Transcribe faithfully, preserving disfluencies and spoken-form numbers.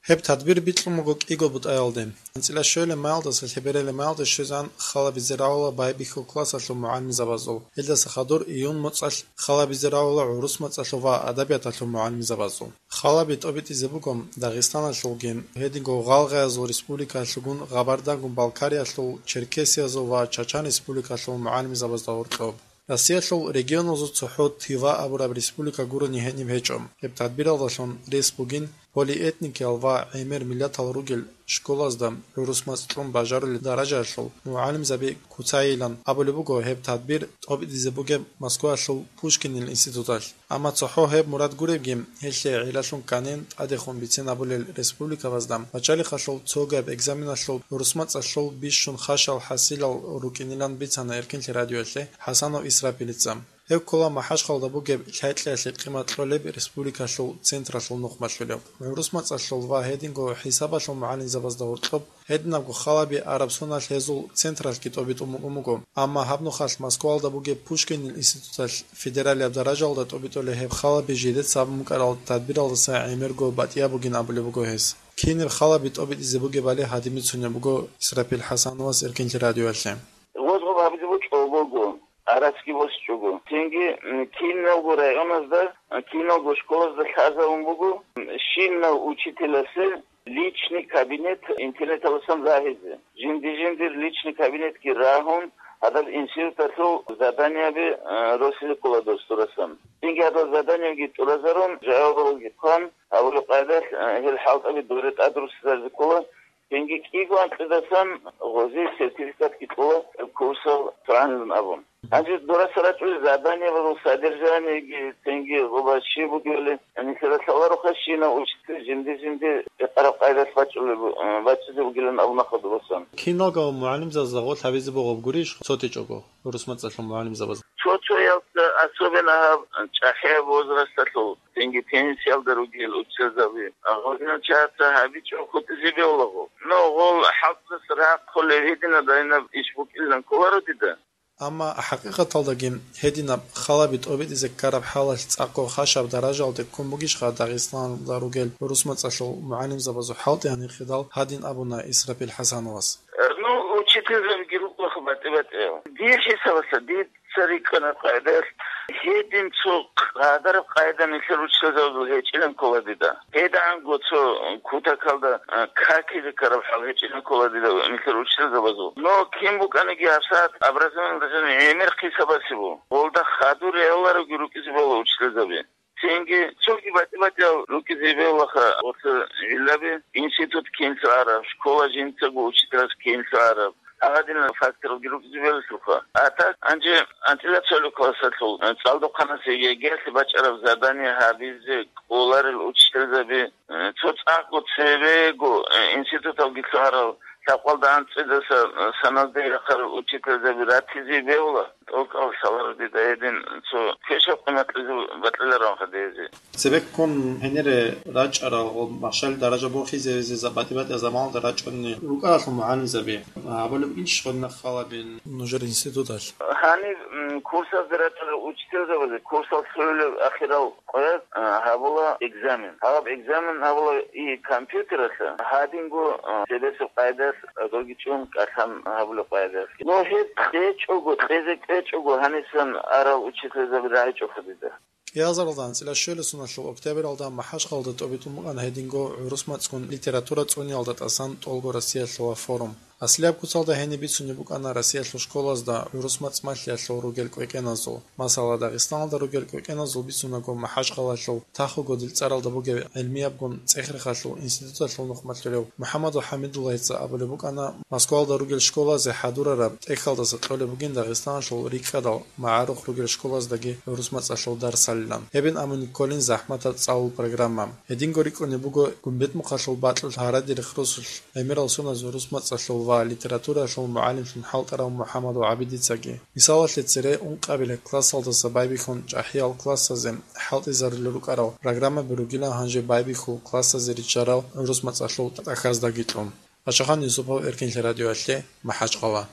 Гьеб тадбир бикьун буго кӀиго бутӀаялде. АнцӀила щвелеб майалдаса лъеберелеб майалде щвезан халабизе равала байбихьул классалъул мугӀалимзабазул. Гьелдаса хадур июнь моцӀалъ халабизе равала гӀурус мацӀалъул ва адабияталъул мугӀалимзабазул. Халаби тӀобитӀизе буго Дагъистаналъулги, гьединго гъалгъаязул республикаялъулгун, Гъабардагун Балкариялъул, Черкесиязул ва Чачан республикалъул мугӀалимзабазда гьоркьоб. Россиялъул регионазул цохӀо Тыва абураб республика гурони гьениб гьечӀо. Гьеб тадбиралдалъун рес бугин полиэтникиял ва гӀемер миллатал ругел школазда гӀурус мацӀ кьун бажарулел даражаялъул мугӀалимзаби куцайилан абулеб буго гьеб тадбир тӀобитӀизе бугеб Москваялъул Пушкинил институталъ. Амма цохӀо гьеб мурад гуребги, гьелъие гӀелалъун кканин тӀадехун бицин абулел республикабазда начальникалъул цогаб экзаменалъул гӀурус мацӀалъул бищун хашал хӀасилал рукӀинилан бицана Эркинлъи радиоялъе ХӀасанов Исрапилица. Гьев ккола МахӀачхъалда бугеб лъай-кьеялъе къимат кьолеб республикалъул централъул нухмалъулев. ГӀурус мацӀалъул ва гьединго хӀисабалъул мугӀалимзабазда гьоркьоб гьединабго халаби араб соналъ гьезул централъги тӀобитӀун буго. Амма гьаб нухалъ Москваялда бугеб Пушкинил институталъ федералияб даражаялда тӀобитӀулей гьеб халаби жидеца абун букӀарал тадбиралдаса гӀемерго батӀияб бугин абулеб буго гьес. Кинаб халаби тӀобитӀизе бугебали гьадин бицунеб буго Исрапил ХӀасановас Эркинлъи радиоялъе. Гъозгъоб гьабизе бокьулеб буго, арацги босичӀого. Цинги, м, киналго районазда, м, киналго школазда лъазабун буго, м, щинав учителасе личный кабинет интернеталасан рагьизе. Жинди-жиндир личный кабинетги рагьун, гьадаб институталъул заданиеби, э, росизе ккола дос дурасан. Цинги гьадал заданиеги тӀуразарун, жавабалги хъван, гьабулеб къайдалъ, э, гьел хӀалтӀаби доре тӀадруссизаризе ккола. Цинги кӀиго анкьидасан гъозие сертификатги кьола, курсал цӀанилан абун. Гьанже дураса рачӀунел заданиябазул содержаниеги, цинги гъоба щиб бугебали, нилъеда лъалароха щинав учитель жинди-жинди рекъараб къайдалъ бачӀулеб-, бачӀизе бугилан абуна хадубасан. Киналго мугӀалимзабазда гъорлъ гьабизе бугеб гурищ цо течӀого гӀурус мацӀалъул мугӀалимзабаз? Цо-цоясда, особенно гьаб чӀахӀияб возрасталъул, цинги пенсиялда ругел учителзаби, гъозинал чагӀаца гьабичӀого хутӀизе бегьулаго. Но гъол хӀалтӀулъ рахъулеб гьединаб-гьадинаб иш букӀилан кколаро дида. Амма хӀакъикъаталдаги гьединаб халаби тӀобитӀизе ккараб хӀалалъ цӀакъго хашаб даражаялде ккун бугищха Дагъистаналда ругел гӀурус мацӀалъул мугӀалимзабазул хӀалтӀи гьанихъидал гьадин абуна Исрапил ХӀасановас. Ну, учительзабиги рукӀаха батӀи-батӀиял. Дир хӀисабалъа, дица рикӀкӀана къайдалъ, гьедин цо къадараб къайда нилъер учителзабазул гьечӀилан ккола дида. ГьедагӀанго цо кутакалда, а, какизе ккараб хӀал гьечӀилан ккола дида нилъер учителзабазул. Но кин букӀаниги гьабсагӀат образованиялда жаниб гӀемер хъисабаси бу. Гъолда хадур регӀолароги рукӀизе бегьула учителзаби. Цинги цоги батӀи-батӀиял рукӀизе бегьулаха гъорлъ гӀиллаби, институт кинлъи араб, школа жинцаго учителас кинлъи араб, гьагъадинал факторалги рукӀизе бегьулаха. А так, гьанже анцӀила цолеб классалъул, э, цӀалдохъанас ЕГЭ-лъе бачӀараб задание гьабизе кӀоларел учителзаби, э, цо цӀакъго цебего, э, институталги лъугьарал, лъабкъалда анцӀидаса, э, саназде рахъарал учителзаби ратизе бегьула. ТӀокӀал лъаларо дида гьедин цо квешаб къимат кьезе бокьилароан хадезе. Цебеккун гьенире рачӀарал ва машгьал даража борхизеризе за-, батӀи-батӀияб заманалда рачӀунни рукӀаралъул мугӀалимзаби. Абулеб инщ гъодинаб халабин нужер институталъ? Гьаниб, м, курсазде рачӀарал учительзабазе курсал лъугӀулеб ахирал къоялъ, а, гьабула экзамен. Гьаб экзамен гьабула и компьютералъа, гьадинго, а, цебесеб къайдалъ, а, догичӀун кӀалъан гьабулеб къайдалъ. Ну, гьеб кьечӀого, кьезе кьечӀого гьанисан арал учительзаби рагӀичӀоха дида. КӀиазаралда анцӀила щуялдасуналъул октябралда МахӀачхъалда тӀобитӀун букӀана гьединго гӀурус мацӀгун литература цӀуниялда тӀасан тӀолго Россиялъула форум. Аслияб куцалда гьениб бицунеб букӀана Россиялъул школазда гӀурус мацӀ малъиялъул ругел кӀвекӀеназул. Масала, Дагъистаналда ругел кӀвекӀеназул бицунаго, МахӀачхъалалъул Тахуго дилцӀаралда бугеб гӀилмиябгун цӀех-рехалъул институталъул нухмалъулев МухӀаммадов ХӀамидуллагьица абулеб букӀана, Москвалда ругел школазе хӀадурараб тӀехьалдаса кьолеб бугин Дагъистаналъул рикӀкӀадал магӀарухъ ругел школаздаги гӀурус мацӀалъул дарсалилан. Гьебин абуни кколин захӀматаб цӀалул программа. Гьединго рикӀкӀунеб буго Гумбетмухъалъул бакьулъ гьараде рехсолъ гӀемерал соналъ гӀурус мацӀалъул ва литератураялъул мугӀалимлъун хӀалтӀарав МухӀаммадов ГӀабидицаги. Мисалалъе, цере ункъабилеб классалдаса байбихьун чӀахӀиял классазе хӀалтӀизарулел рукӀарал программаби ругилан гьанже байбихьул классазе риччарал гӀурус мацӀалъул тӀахьаздаги кьун. Пачагьан Юсупов, Эркинлъи радиоялъе, МахӀачхъала.